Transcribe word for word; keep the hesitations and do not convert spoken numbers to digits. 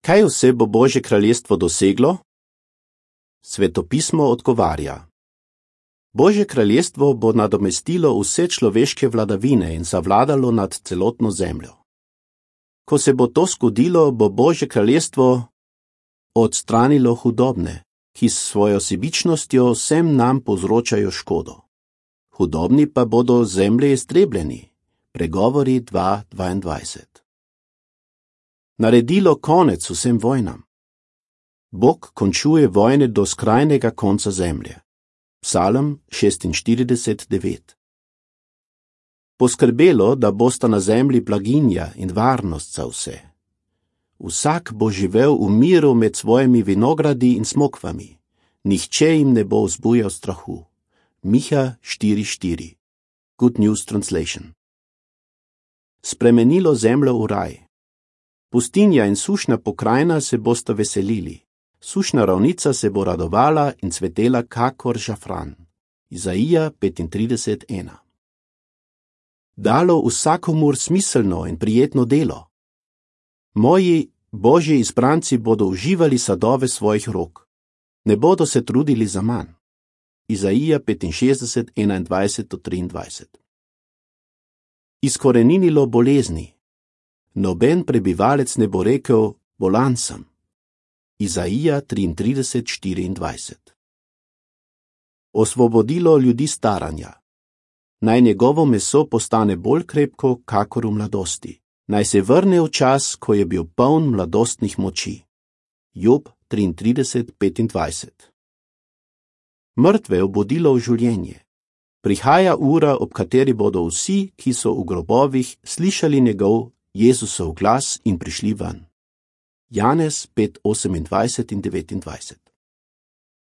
Kaj vse bo Božje kraljestvo doseglo? Svetopismo odgovarja. Božje kraljestvo bo nadomestilo vse človeške vladavine in zavladalo nad celotno zemljo. Ko se bo to zgodilo, bo Božje kraljestvo odstranilo hudobne, ki s svojo sebičnostjo vsem nam povzročajo škodo. Hudobni pa bodo zemlje iztrebljeni. Pregovori dva dvaindvajset. Naredilo konec vsem vojnam. Bog končuje vojne do skrajnega konca zemlje. Psalm šestinštirideset devet. Poskrbelo, da bosta na zemlji blaginja in varnost za vse. Vsak bo živel v miru med svojimi vinogradi in smokvami. Nihče jim ne bo vzbujal strahu. Miha štiri štiri. Good News Translation. Spremenilo zemljo v raj. Pustinja in sušna pokrajina se bosta veselili. Sušna ravnica se bo radovala in cvetela kakor žafran. Izaija petintrideset ena. Dalo vsakomur smiselno in prijetno delo. Moji Božji izbranci bodo uživali sadove svojih rok. Ne bodo se trudili za manj. Izaija petinšestdeset enaindvajset do triindvajset. Izkoreninilo bolezni. Noben prebivalec ne bo rekel, bolan sem. Izaija triintrideset štiriindvajset. Osvobodilo ljudi staranja. Naj njegovo meso postane bolj krepko, kakor v mladosti. Naj se vrne v čas, ko je bil poln mladostnih moči. Job triintrideset petindvajset. Mrtve obudilo v življenje. Prihaja ura, ob kateri bodo vsi, ki so v grobovih, slišali njegov Jezusov glas in prišli ven. Janez pet osemindvajset in devetindvajset.